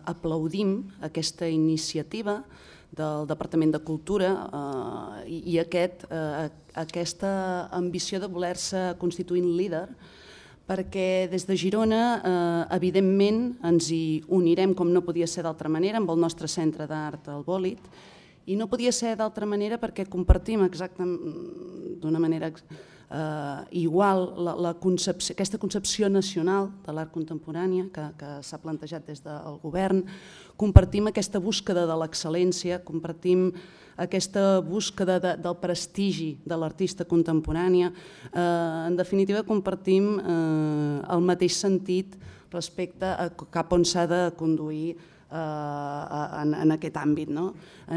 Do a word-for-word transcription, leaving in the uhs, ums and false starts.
aplaudim aquesta iniciativa del Departament de Cultura eh, i aquest, eh, aquesta ambició de voler-se constituint líder, perquè des de Girona, eh, evidentment, ens hi unirem, com no podia ser d'altra manera, amb el nostre centre d'art, el Bòlit, i no podia ser d'altra manera perquè compartim exactament d'una manera eh, igual la, la concepció, aquesta concepció nacional de l'art contemporània que, que s'ha plantejat des del govern, compartim aquesta búsqueda de l'excel·lència, compartim aquesta búsqueda de, del prestigi de l'artista contemporània. Eh, en definitiva, compartim eh, el mateix sentit respecte a cap on s'ha de conduir eh, en, en aquest àmbit, no? En